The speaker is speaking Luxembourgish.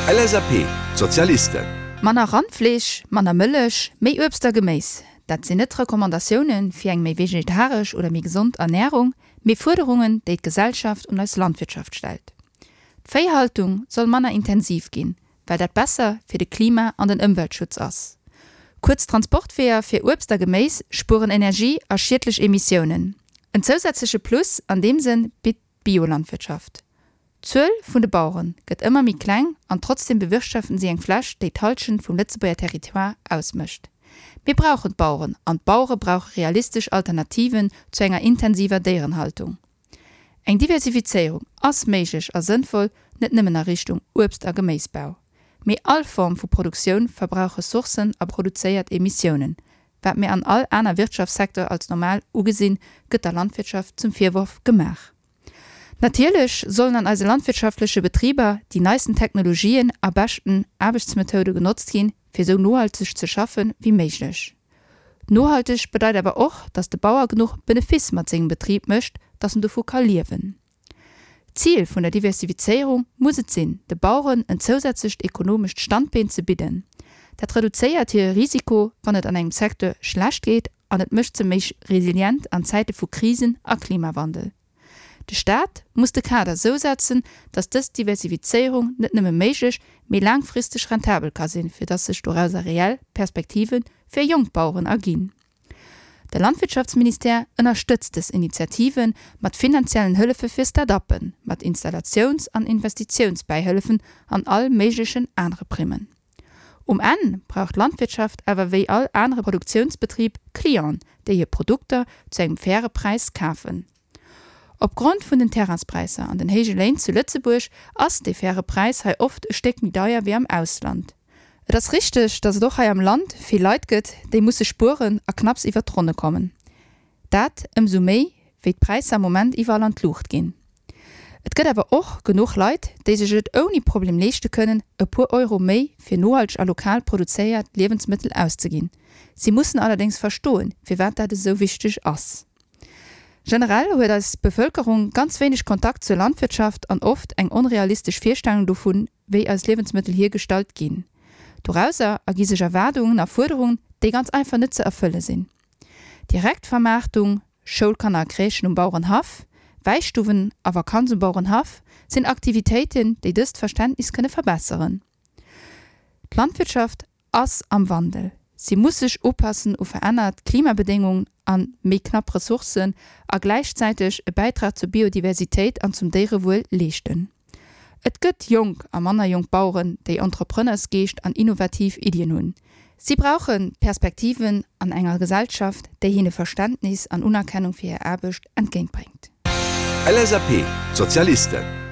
LSAP, D'Sozialisten. Manner Randfleesch, manner Mëllech, méi Uebst a Geméis, dat sinn net Recommandatioune fir eng méi vegetaresch oder méi gesond Ernärung, mee Fuerderungen, déi d'Gesellschaft un eis Landwirtschaft stellt. D'Véihaltung soll manner intensiv ginn, well dat besser fir de Klima an den Ëmweltschutz ass. Kuerz Transportweeër fir Uebst a Geméis spueren Energie a schiedlech Emissiounen. En zousätzleche Plus an deem Sënn bitt d'Biolandwirtschaft. D'Zuel vun de Bauere gëtt ëmmer méi kleng an trotzdeem bewirtschaften si eng Fläch, déi d'Hallschent vum Lëtzebuerger Territoire ausmécht. Mir brauchen d'Baueren an d'Bauere brauche realistesch Alternativen zu enger intensiver Déierenhaltung. Eng Diversifizéierung ass méiglech a sënnvoll, net nëmmen a Richtung Uebst a Geméisbau. Mee all Form vu Produktioun verbrauch Ressourcen a produzéiert Emissiounen. Wat mir an all aner Wirtschaftssecteur als normal ugesinn, gëtt der Landwirtschaft zum Virworf gemaach. Natierlech sollen an eise landwirtschaftleche Betriber déi neisten Technologien a beschten Aarbechtsmethoude genotzt ginn, fir esou nohalteg ze schaffe wéi méiglech. Nohalteg bedeit awer och, dass de Bauer genuch Benefice mat sengem Betrib mécht, dass en dovu ka liewen. D'Zil vun der Diversifizéierung muss et sinn, de Baueren en zousätzlecht ekonomescht Standbeen ze bidden. Dat reduzéiert hire Risiko, wann et an engem Secteur schlecht geet an et mécht se méi resilient an Zäite vu Krisen a Klimawandel. De Staat muss de Kader sou setzen, datt dës Diversifizéierung net nëmme méiglech, mee laangfristeg rentabel ka sinn, fir datt sech dorauser reell Perspektive fir jonk Baueren erginn. De Landwirtschaftsministère ënnerstëtzt dës Initiative mat finanziellen Hëllefe fir Start-uppen, mat Installatiouns an Investitiounsbäihëllefen an all méiglechen anere Primmen. Um Enn brauch d'Landwirtschaft awer wéi all anere Produktiounsbetrib Clienten, déi hir Produkter zu engem faire Präis kafen. Opgrond vun den Terrainspräisser an den héije Léin zu Lëtzebuerg ass dee faire Präis hei oft e Stéck méi deier wéi am Ausland. Et ass richteg, datt et och hei am Land vill Leit gëtt, déi musse spueren a knapps iwwert d'Ronne kommen. Dat ëmsou méi, wéi d'Präisser am Moment iwwerall an d'Luucht ginn. Et gëtt awer och genuch Leit, déi sech et ouni Problem leeschte kënnen, e puer Euro méi fir nohalteg a lokal produzéiert Liewensmëttel auszeginn. Si mussen allerdéngs verstoen, firwat dat esou wichteg ass. Generell huet eis Bevëlkerung ganz wéineg Kontakt zur Landwirtschaft an oft eng onrealistesch Virstellung dovun, wéi eis Liewensmëttel hiergestallt ginn. Dorauser ergi sech Erwaardungen a Fuerderungen, déi ganz einfach net ze erfëlle sinn. Direktvermaartung, Schoulkanner a Crèchen um Bauerenhaff, Wäistuwen a Vakanz um Bauerenhaff sinn Aktivitéiten, déi dëst Verständnis kënne verbesseren. D'Landwirtschaft ass am Wandel. Si muss sech upassen u verännert Klimabedéngungen a méi knapp Ressourcen a gläichzäiteg e Bäitrag zur Biodiversitéit an zum Déierewuel leeschten. Et gëtt jonk a manner jonk Baueren, déi Entrepreneursgeescht an innovativ Iddien hunn. Si brauche Perspektiven an enger Gesellschaft, déi hinne Verständnis an Unerkennung fir hir Aarbecht entgéintbréngt. LSAP, D'Sozialisten.